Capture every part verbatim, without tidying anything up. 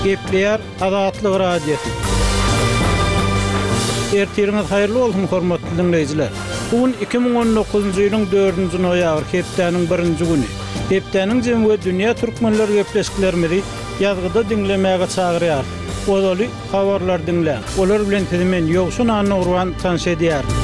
Gepleýär Azatlyk Radiosy. Ertiriňiz haýyrly bolsun hormatly diňleýjiler. Bu gün iki müň on dokuzynjy ýylyň dördünji noýabr, hepdäniň birinji güni. Hepdäniň jemi we dünýä türkmenler gepleşiklerimizi ýazgyda diňlemäge çagyrýar. Ozaly habarlar diňläň. Olar bilen sizi men Ýowşan Annagurban tanyş edýärin.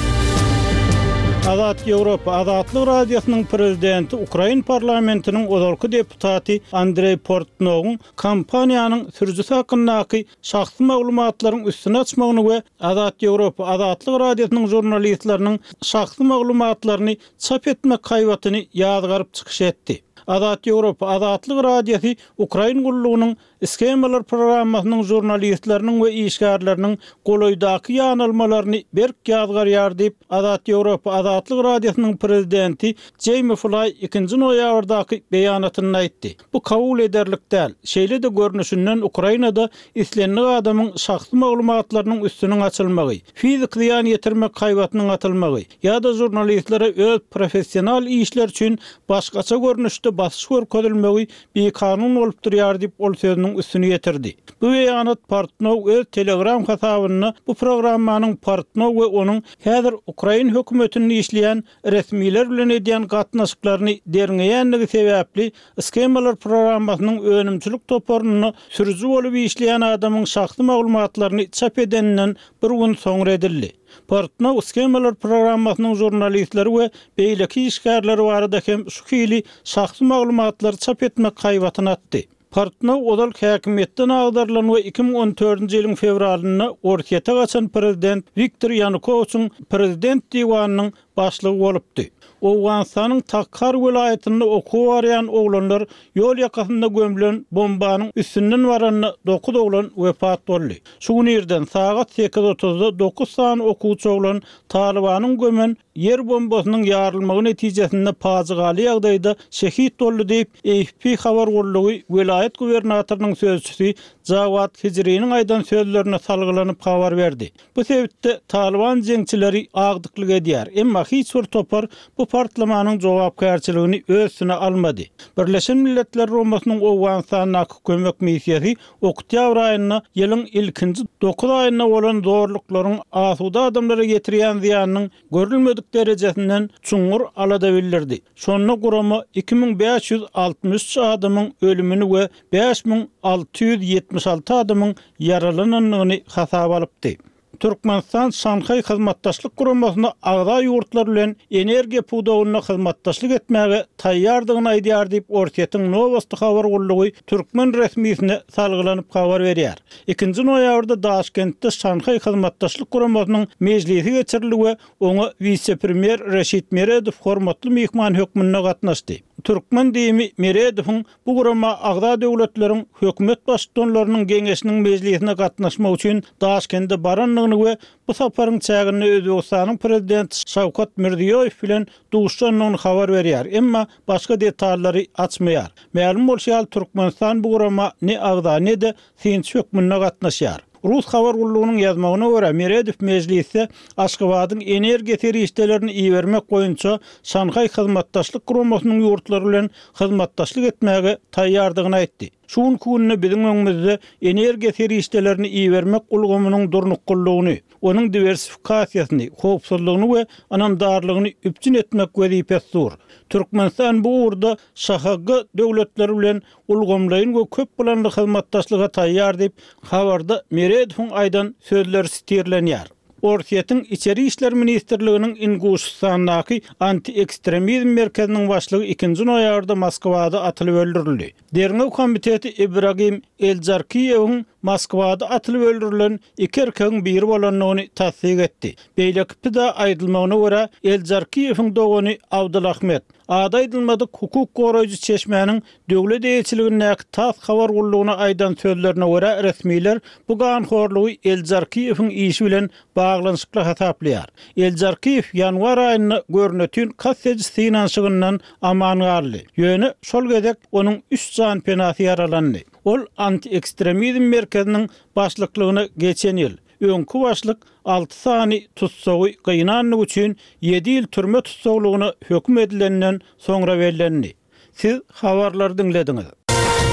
Azat Ýewropa Azatlyk Radiosynyň prezidenti Ukrain parlamentiniň ozalky deputaty Andrei Portnowyň kompaniýanyň sürüjisi hakyndaky şahsy maglumatlaryň üstüni açmagyny we Azat Ýewropa Azatlyk Radiosynyň žurnalistleriniň şahsy maglumatlaryny çap etmek haýbatyny ýazgaryp çykyş etdi. Azat Ýewropa Azatlyk Radiosy Ukrain gullugynyň Schemalar programmasynyň žurnalistleriniň we işgärleriniň golaýdaky ýanalmalaryny berk ýazgarýar diýip, Azat Ýewropa Azatlyk Radiosynyň prezidenti Jamie Fly ikinji noýabrdaky beýanatynda aýtdy. Bu kabul ederlik däl. Şeýle-de görnüşinden Ukrainada islendik adamyň şahsy maglumatlarynyň üstüniň açylmagy, fizik zyýan ýetirmek haýbatynyň atylmagy ýa-da žurnalistlere öz professional işler üçin başgaça görnüşde basyş görkezilmegi bikanun bolup durýar diýip ol sözüniň üstüni ýetirdi. Bu beýanat Portnow öz Telegram hasabynda bu programmanyň Portnow we onuň häzir Ukrain hökümetinde işleýän resmiler bilen edýän gatnaşyklaryny derňeýänligi sebäpli Schemalar programmasynyň önümçilik toparynda sürüji bolup işleýän adamyň şahsy maglumatlaryny çap edeninden bir gün soňra edildi. Portnow Schemalar programmasynyň žurnalistleri we beýleki işgärleri barada hem şu hili şahsy maglumatlary çap etmek haýbatyny atdy. Portnow ozal häkimiýetden agdarylan we iki müň on dördünji ýylyň fewralynda Orsýete gaçan prezident Wiktor Ýanukowiçiň prezident diwanynyň başlygy bolupdy. Owganystanyň Takhar welaýatynda okuwa barýan oglanlar ýol ýakasynda gömülen bombanyň üstünden baranda dokuz oglan wepat boldy. Şu gün irden sagat sekiz otuzda dokuz sany okuwçy oglan Talibanyň gömen ýer bombasynyň ýarylmagy netijesinde pajygaly ýagdaýda şehit boldy diýip, A F P habar gullugy welaýat gubernatorynyň sözçüsi Jawad Hijriniň aýdan sözlerine salgylanyp habar berdi. Bu sebitde Taliban jeňçileri agdyklyk edýär, emma hiç bir topar bu partlamanyň jogapkärçiligini öz üstüne almady. Birleşen Milletler Guramasynyň Owganystandaky kömek missiýasy oktýabr aýynda ýylyň ilkinji dokuz aýynda bolan zorluklaryň asuda adamlara getirýän zyýanynyň görülmedik derejesinden çuňňur alada bildirdi. Şonda gurama iki müň bäş ýüz altmyş üç adamyň ölümini we bäş müň alty ýüz ýetmiş alty adamyň ýaralanandygyny hasaba alypdy. Türkmenistan Şanhaý Hyzmatdaşlyk Guramasyna agza ýurtlar bilen energiýa pudagynda hyzmatdaşlyk etmäge taýýardygyny aýdýar diýip Orsýetiň Nowosti habar gullugy türkmen resmisine salgylanyp habar berýär. Ikinji noýabrda Daşkentde Şanhaý Hyzmatdaşlyk Guramasynyň mejlisi geçirildi we oňa wise-premýer Reşit Meredow hormatly myhman hökmünde gatnaşdy. Türkmen diýimi Meredowyň bu gurama agza döwletleriň hökümet baştutanlarynyň geňeşiniň mejlisine gatnaşmak üçin Daşkende barandygyny we bu saparyň çäginde Özbegistanyň prezidenti Şawkat Mirziýoýew bilen duşandygyny habar berýär, emma başga detallary açmaýar. Mälim bolşy ýaly Türkmenistan bu gurama ne agza ne-de synçy hökmünde gatnaşýar. Rus habar gullugynyň ýazmagyna görä Meredow mejlisde Aşgabadyň energiýa serişdelerini ibermek boýunça Şanhaý Hyzmatdaşlyk Guramasynyň ýurtlary bilen hyzmatdaşlyk etmäge taýýardygyny aýtdy. Şu günki günde biziň öňümizde energiýa serişdelerini ibermek ulgamynyň durnuklylygyny, onuň diwersifikasiýasyny, howpsuzlygyny we ynamdarlygyny üpjün etmek wezipesi dur. Türkmenistan bu ugurda Ş H G döwletleri bilen ulgamlaýyn we köp planly hyzmatdaşlyga taýýar diýip, habarda Meredowyň aýdan sözleri sitirlenýär. Orsýetiň Içeri işler ministrliginiň Inguşystandaky anti-ekstremizm merkeziniň başlygy ikinji noýabrda Moskwada atylyp öldürildi. Derňew komiteti Ibragim Eljarkiýewiň Moskwada atylyp öldürilen iki erkegiň biri bolandygyny tassyk etdi. Beýleki pida aýdylmagyna görä Eljarkiýewiň dogany Abdulahmet, ady aýdylmadyk hukuk goraýjy çeşmäniň döwlet eýeçiligindäki TASS habar gullugyna aýdan sözlerine görä resmiler bu ganhorlugy Eljarkiýewiň işi bilen baglanyşykly hasaplaýar. Eljarkiýew ýanwar aýynda görnütün kast ediş synanyşygyndan aman galdy. Ýöne şol gezek onuň üç jan penasy ýaralandy. Ol anti-ekstremizm merkeziniň başlyklygyna geçen ýyl, öňki başlyk alty sany tutsagy gynanlyk üçin ýedi ýyl türme tutsaglygyna höküm edilenden soňra bellendi. Siz habarlary diňlediňiz.